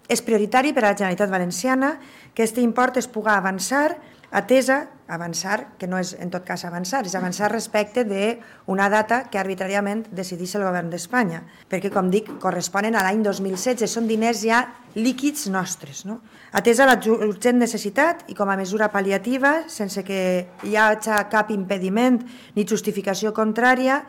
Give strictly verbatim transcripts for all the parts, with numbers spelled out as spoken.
És prioritari per a la Generalitat Valenciana que aquest import es pugui avançar, atesa, avançar, que no és en tot cas avançar, és avançar respecte d'una data que arbitràriament decideix el govern d'Espanya, perquè, com dic, corresponen a l'any dos mil setze, són diners ja líquids nostres. No? Atesa la urgent necessitat i com a mesura pal·liativa, sense que hi hagi cap impediment ni justificació contrària,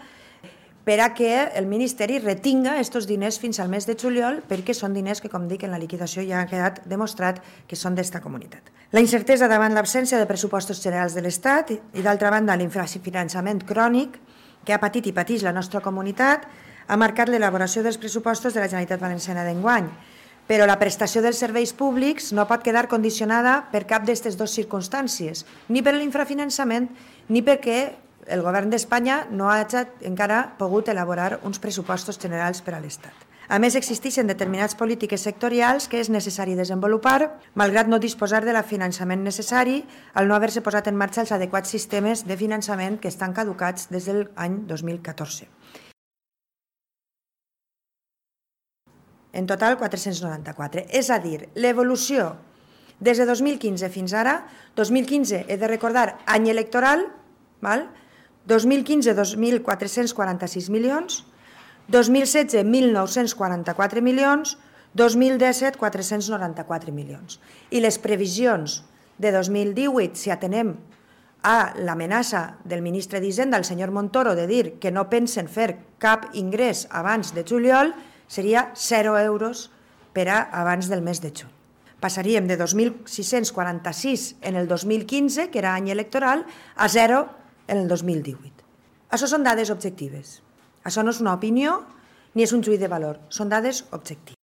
per a que el Ministeri retinga aquests diners fins al mes de juliol, perquè són diners que, com dic, en la liquidació ja ha quedat demostrat que són d'esta comunitat. La incertesa davant l'absència de pressupostos generals de l'Estat i, d'altra banda, l'infrafinançament crònic que ha patit i pateix la nostra comunitat ha marcat l'elaboració dels pressupostos de la Generalitat Valenciana d'enguany, però la prestació dels serveis públics no pot quedar condicionada per cap d'aquestes dues circumstàncies, ni per l'infrafinançament ni perquè el govern d'Espanya no ha encara pogut elaborar uns pressupostos generals per a l'Estat. A més, existeixen determinades polítiques sectorials que és necessari desenvolupar, malgrat no disposar de la finançament necessari al no haver-se posat en marxa els adequats sistemes de finançament que estan caducats des de l'any dos mil catorze. En total, quatre-cents noranta-quatre. És a dir, l'evolució des de dos mil quinze fins ara, dos mil quinze, he de recordar, any electoral, val? dos mil quinze, dos mil quatre-cents quaranta-sis milions, dos mil setze, mil nou-cents quaranta-quatre milions, dos mil disset, quatre-cents noranta-quatre milions. I les previsions de dos mil divuit, si atenem a l'amenaça del ministre d'Hisenda, el senyor Montoro, de dir que no pensen fer cap ingrés abans de juliol, seria zero euros per a abans del mes de juny. Passaríem de dos mil sis-cents quaranta-sis en el dos mil quinze, que era any electoral, a zero en el dos mil divuit. Això són dades objectives. Això no és una opinió ni és un juí de valor, són dades objectives.